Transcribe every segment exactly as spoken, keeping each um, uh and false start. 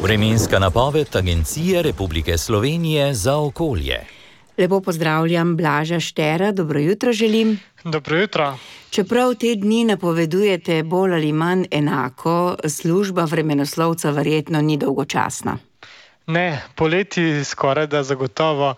Vremenska napoved Agencije Republike Slovenije za okolje. Lepo pozdravljam Blaža Štera, dobro jutro želim. Dobro jutro. Čeprav te dni napovedujete bolj ali manj enako, služba vremenoslovca verjetno ni dolgočasna. Ne, poleti skoraj da zagotovo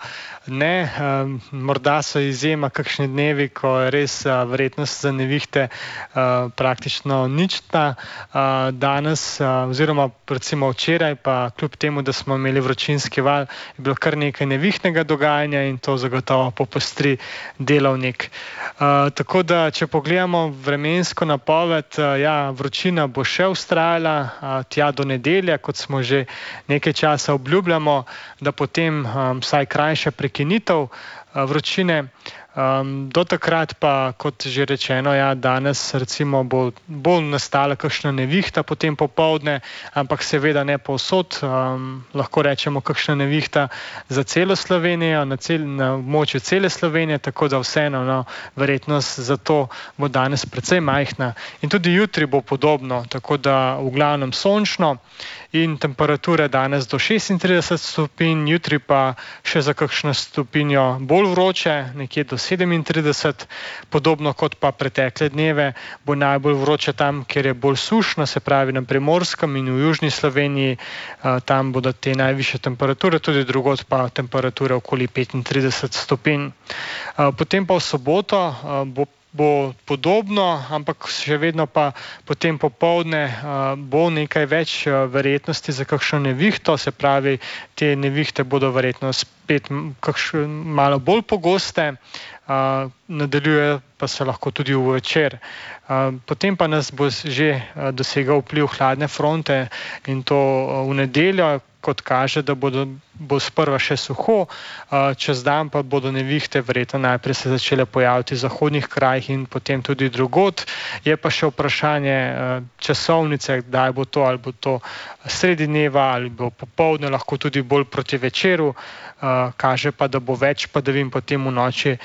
ne. Um, morda so izjema kakšni dnevi, ko je res uh, verjetnost za nevihte uh, praktično nična. Uh, danes uh, oziroma recimo včeraj pa kljub temu, da smo imeli vročinski val, je bilo kar nekaj nevihtnega dogajanja in to zagotovo popostri delovnik. Uh, tako da, če pogledamo vremensko napoved, uh, ja, vročina bo še vztrajala uh, tja do nedelje, kot smo že nekaj časa obljubljamo, da potem um, vsaj krajša prekinitev uh, vročine. Um, do takrat pa, kot že rečeno, ja, danes recimo bo, bo nastala kakšna nevihta potem popoldne, ampak seveda ne povsod. Um, lahko rečemo kakšna nevihta za celo Slovenijo, na, cel, na območju cele Slovenije, tako da vseeno, no, verjetnost za to bo danes precej majhna. In tudi jutri bo podobno, tako da v glavnem sončno in temperature danes do šestintrideset stopinj, jutri pa še za kakšno stopinjo bolj vroče, nekje do sedemintrideset, podobno kot pa pretekle dneve, bo najbolj vroče tam, kjer je bolj sušno, se pravi na Primorskem in v južni Sloveniji, tam bodo te najvišje temperature, tudi drugod pa temperature okoli petintrideset stopinj. Potem pa v soboto bo bo podobno, ampak še vedno pa potem popoldne uh, bo nekaj več uh, verjetnosti za kakšno nevihto, se pravi, te nevihte bodo verjetno spet kakšno malo bolj pogoste, uh, nadaljuje pa se lahko tudi v večer. Uh, potem pa nas bo že uh, dosegal vpliv hladne fronte in to uh, v nedeljo, kot kaže, da bodo, bo sprva še suho, čez dan pa bodo nevihte verjetno najprej se začele pojaviti v zahodnih krajih in potem tudi drugod. Je pa še vprašanje časovnice, kdaj bo to, ali bo to sredi dneva ali bo popoldne, lahko tudi bolj proti večeru. Kaže pa, da bo več padavin potem v noči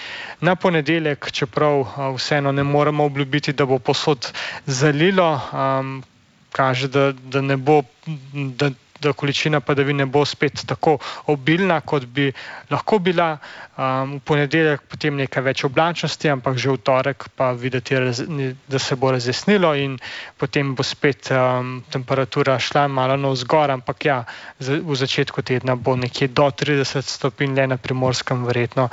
na ponedeljek, čeprav vseeno ne moremo obljubiti, da bo povsod zalilo. Kaže, da, da ne bo, da da količina padavin ne bo spet tako obilna, kot bi lahko bila. Um, v ponedeljek potem nekaj več oblačnosti, ampak že v torek pa videti, da se bo razjasnilo in potem bo spet um, temperatura šla malo navzgor, ampak ja, v začetku tedna bo nekje do trideset stopinj, le na Primorskem verjetno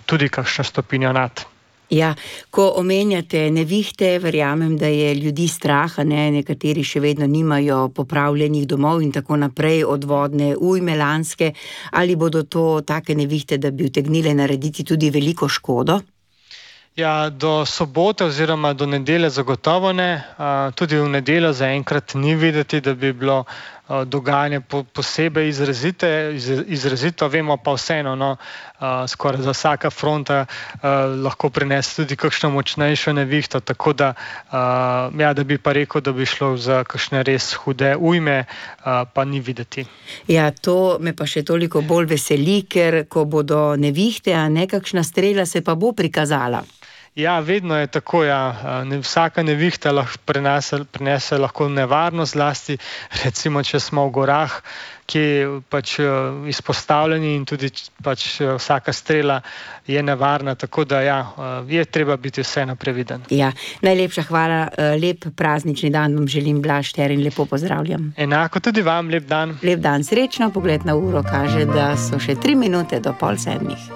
tudi kakšno stopinjo nad. Ja, ko omenjate nevihte, verjamem, da je ljudi strah, ne, nekateri še vedno nimajo popravljenih domov in tako naprej od vodne ujme lanske. Ali bodo to take nevihte, da bi utegnile narediti tudi veliko škodo? Ja, do sobote oziroma do nedelje zagotovo ne. Tudi v nedeljo zaenkrat ni videti, da bi bilo dogajanje posebej izrazite, izrazito. Vemo pa vseeno, no, skoraj za vsaka fronta lahko prinese tudi kakšno močnejšo nevihto, tako da, ja, da bi pa rekel, da bi šlo za kakšne res hude ujme, pa ni videti. Ja, to me pa še toliko bolj veseli, ker ko bodo nevihte, a nekakšna strela se pa bo prikazala. Ja, vedno je tako, ja. Vsaka nevihta lahko prinese, prinese lahko nevarnost, zlasti recimo, če smo v gorah, ki pač izpostavljeni in tudi pač vsaka strela je nevarna, tako da ja, je treba biti vseeno previden. Ja, najlepša hvala, lep praznični dan vam želim, Blaž Šter, in lepo pozdravljam. Enako tudi vam, lep dan. Lep dan, srečno, pogled na uro kaže, da so še tri minute do pol sedmih.